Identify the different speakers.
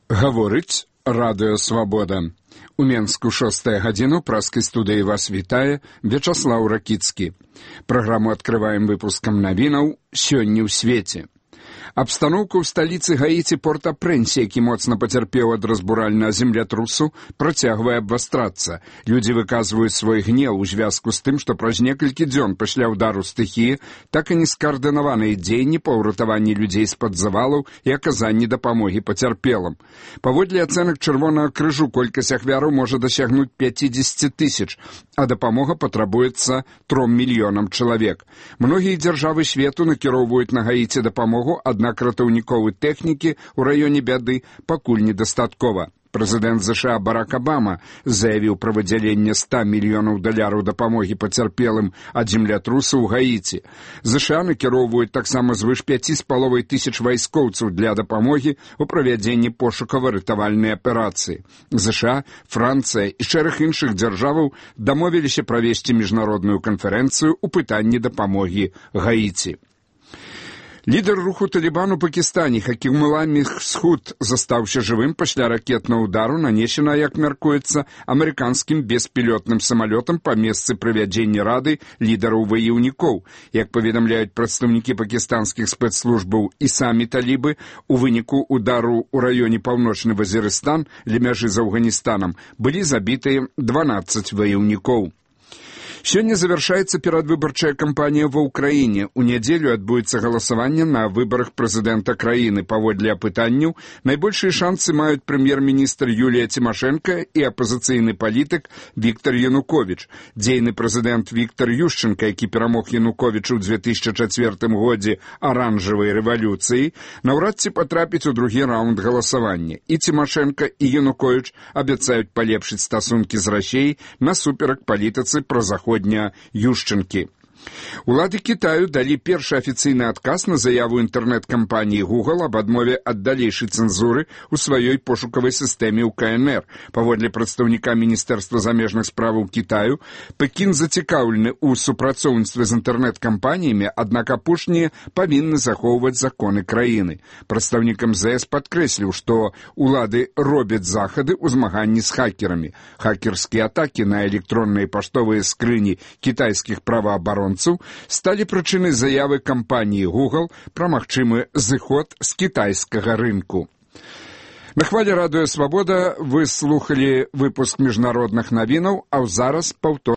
Speaker 1: Гаворыць Радыё Свабода. У Менску 6 гадзіну праскай студыі вас вітае Вячаслаў Ракіцкі. Праграму адкрываем выпускам навінаў «Сёння ў свеце». Абстаноўка ў сталіцы Гаіці Порт-а-Прэнсе, які моцна пацярпеў ад разбуральнага землятрусу, працягвае абвастрацца. Людзі выказваюць свой гнеў у звязку з тым, што праз некалькі дзён пасля ўдару стыхіі так і не скаардынаваныя дзеянні па ўратаванні людзей з-пад завалаў і аказанні дапамогі пацярпелым. Паводле ацэнак Чырвонага крыжу колькасць ахвяраў можа дасягнуць 50 000, а дапамога патрабуецца 3 мільёнам чалавек. Многія дзяржавы свету накіроўваюць на Гаіці дапамогу, аднак ратаўніковай тэхнікі ў раёне бяды пакуль недастаткова. Прэзідэнт США Барак Абама заявіў пра выдзяленне $100 мільёнаў дапамогі пацярпелым ад землятрусу ў Гаіці. США накіроўваюць таксама звыш 5,5 вайскоўцаў для дапамогі ў правядзенні пошукава-ратавальнай аперацыі. США, Францыя і шэраг іншых дзяржаваў дамовіліся правесці міжнародную канферэнцыю ў пытанні дапамогі Гаіці. Лідар руху Талібан у Пакістане Хакім Улла Мехсуд застаўся жывым пасля ракетнага ўдару, нанесена, як мяркуецца, амерыканскім беспілотным самалётам па месцы правядзення рады лідараў ваяўнікоў. Як паведамляюць прадстаўнікі пакістанскіх спецслужбаў і самі талібы, у выніку ўдару ў раёне Паўночны Вазірыстан ля мяжы з Афганістанам былі забітыя 12 ваяўнікоў. Сёння завяршаецца перадвыбарчая кампанія ва ўкраіне. У нядзелю адбудзецца галасаванне на выбарах прэзідэнта краіны. Паводле апытанняў, найбольшыя шансы маюць прэм'ер-міністр Юлія Цімашэнка і апазіцыйны палітык Віктар Януковіч. Дзейны прэзідэнт Віктар Ющенка, які перамог Януковічу ў 2004 годзе аранжавай рэвалюцыі, наўрад ці патрапіць у другі раунд галасавання. І Цімашэнка, і Януковіч абяцаюць палепшыць стасункі з Расіяй насуперак палітыцы пра заход Ющенкі. Улады Кітаю далі першы афіцыйны адказ на заяву інтэрнэт-кампаніі Google аб адмове ад далейшай цэнзуры ў сваёй пошукавай сістэме ў КНР. Паводле прадстаўніка Міністэрства замежных справаў Кітаю, Пекін зацікаўлены ў супрацоўніцтве з інтэрнэт-кампаніямі, аднак апошнія павінны захоўваць законы краіны. Прадстаўнік МЗС падкрэсліў, што улады робяць захады ў змаганні з хакерамі. Хакерскія атакі на электронныя паштовыя скрыні кітайскіх праваабаронцаў сталі прычынай заявы кампаніі Google пра магчымы зыход з кітайскага рынку. На хвалі Радыё Свабода вы слухалі выпуск міжнародных навінаў, а зараз паўтор